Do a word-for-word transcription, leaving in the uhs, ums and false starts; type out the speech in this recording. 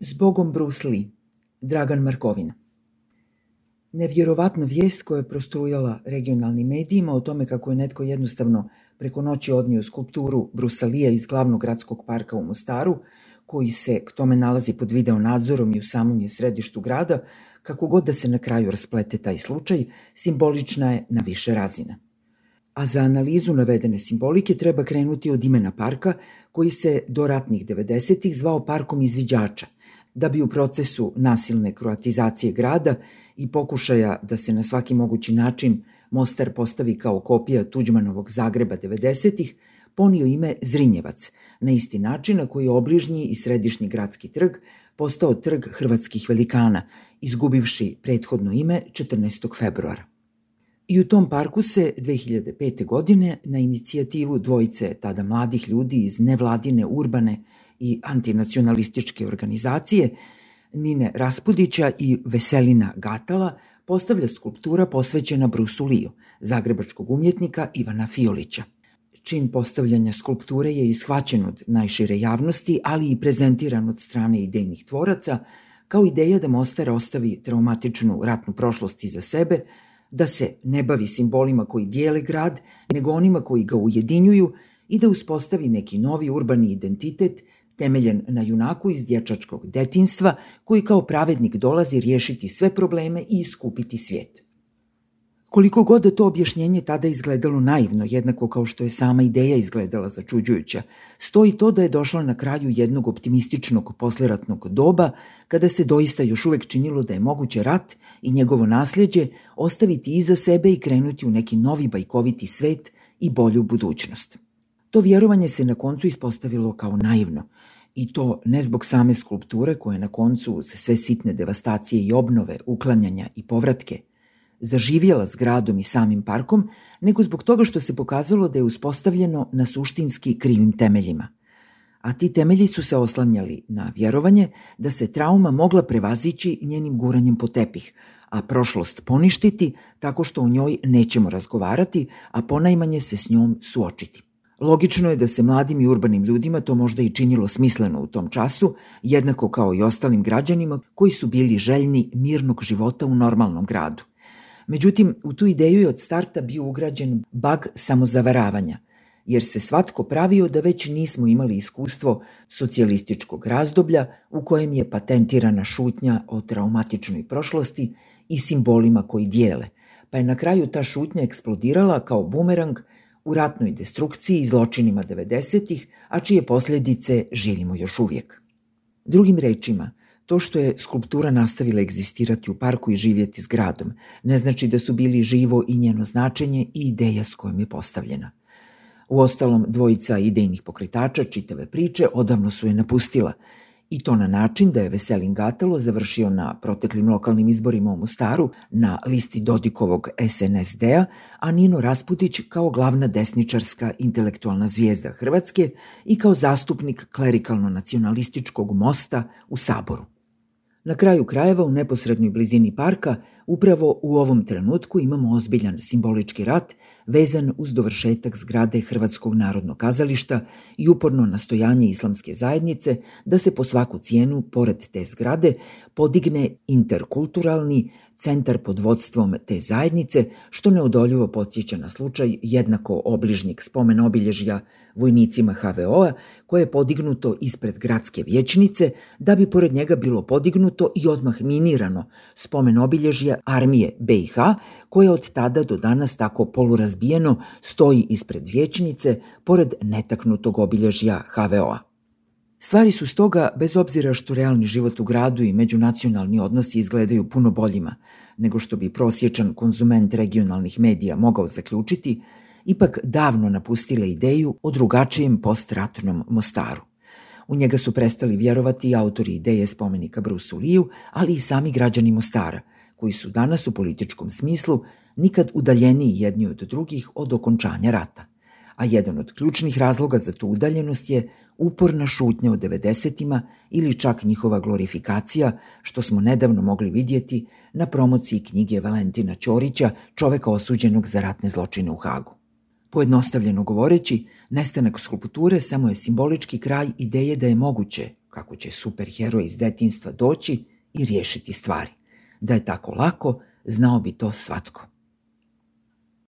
Zbogom Bruce Lee, Dragan Markovina. Nevjerovatna vijest koja je prostrujala regionalnim medijima o tome kako je netko jednostavno preko noći odnio skulpturu Brucea Leea iz glavnog gradskog parka u Mostaru, koji se k tome nalazi pod video nadzorom i u samom je središtu grada, kako god da se na kraju rasplete taj slučaj, simbolična je na više razina. A za analizu navedene simbolike treba krenuti od imena parka, koji se do ratnih devedesetih zvao Parkom izviđača, da bi u procesu nasilne kroatizacije grada i pokušaja da se na svaki mogući način Mostar postavi kao kopija Tuđmanovog Zagreba devedesetih, ponio ime Zrinjevac, na isti način na koji je obližnji i središnji gradski trg postao trg hrvatskih velikana, izgubivši prethodno ime četrnaestog februara. I u tom parku se dve hiljade pete. godine na inicijativu dvojice tada mladih ljudi iz nevladine, urbane i antinacionalističke organizacije Nine Raspudića i Veselina Gatala postavlja skulptura posvećena Bruceu Leeu, zagrebačkog umjetnika Ivana Fiolića. Čin postavljanja skulpture je ishvaćen od najšire javnosti, ali i prezentiran od strane idejnih tvoraca kao ideja da Mostar ostavi traumatičnu ratnu prošlost iza sebe, da se ne bavi simbolima koji dijele grad, nego onima koji ga ujedinjuju i da uspostavi neki novi urbani identitet temeljen na junaku iz dječačkog detinjstva koji kao pravednik dolazi riješiti sve probleme i iskupiti svijet. Koliko god da to objašnjenje tada izgledalo naivno, jednako kao što je sama ideja izgledala začuđujuća, stoji to da je došla na kraju jednog optimističnog posleratnog doba, kada se doista još uvijek činilo da je moguće rat i njegovo nasljeđe ostaviti iza sebe i krenuti u neki novi bajkoviti svet i bolju budućnost. To vjerovanje se na koncu ispostavilo kao naivno, i to ne zbog same skulpture koje na koncu uz sve sitne devastacije i obnove, uklanjanja i povratke zaživjela s gradom i samim parkom, nego zbog toga što se pokazalo da je uspostavljeno na suštinski krivim temeljima. A ti temelji su se oslanjali na vjerovanje da se trauma mogla prevazići njenim guranjem po tepih, a prošlost poništiti tako što o njoj nećemo razgovarati, a ponajmanje se s njom suočiti. Logično je da se mladim i urbanim ljudima to možda i činilo smisleno u tom času, jednako kao i ostalim građanima koji su bili željni mirnog života u normalnom gradu. Međutim, u tu ideju je od starta bio ugrađen bag samozavaravanja, jer se svatko pravio da već nismo imali iskustvo socijalističkog razdoblja u kojem je patentirana šutnja o traumatičnoj prošlosti i simbolima koji dijele, pa je na kraju ta šutnja eksplodirala kao bumerang u ratnoj destrukciji i zločinima devedesetih, a čije posljedice živimo još uvijek. Drugim rečima, to što je skulptura nastavila egzistirati u parku i živjeti s gradom, ne znači da su bili živo i njeno značenje i ideja s kojom je postavljena. Uostalom, dvojica idejnih pokretača čitave priče odavno su je napustila, i to na način da je Veselin Gatalo završio na proteklim lokalnim izborima u Mostaru na listi Dodikovog es en es de a, a Nino Raspudić kao glavna desničarska intelektualna zvijezda Hrvatske i kao zastupnik klerikalno-nacionalističkog Mosta u Saboru. Na kraju krajeva, u neposrednoj blizini parka, upravo u ovom trenutku imamo ozbiljan simbolički rat vezan uz dovršetak zgrade Hrvatskog narodnog kazališta i uporno nastojanje islamske zajednice da se po svaku cijenu, pored te zgrade, podigne interkulturalni centar pod vodstvom te zajednice, što neodoljivo podsjeća na slučaj jednako obližnjeg spomen obilježja vojnicima ha ve o a, koje je podignuto ispred gradske vijećnice, da bi pored njega bilo podignuto i odmah minirano spomen obilježja armije be i ha, koje od tada do danas tako polurazbijeno stoji ispred vijećnice, pored netaknutog obilježja ha ve o a. Stvari su stoga, bez obzira što realni život u gradu i međunacionalni odnosi izgledaju puno boljima nego što bi prosječan konzument regionalnih medija mogao zaključiti, ipak davno napustile ideju o drugačijem postratnom Mostaru. U njega su prestali vjerovati i autori ideje spomenika Bruceu Leeu, ali i sami građani Mostara, koji su danas u političkom smislu nikad udaljeniji jedni od drugih od okončanja rata. A jedan od ključnih razloga za tu udaljenost je uporna šutnja u devedesetima ili čak njihova glorifikacija, što smo nedavno mogli vidjeti na promociji knjige Valentina Ćorića, čoveka osuđenog za ratne zločine u Hagu. Pojednostavljeno govoreći, nestanak skulpture samo je simbolički kraj ideje da je moguće kako će superheroj iz detinjstva doći i riješiti stvari. Da je tako lako, znao bi to svatko.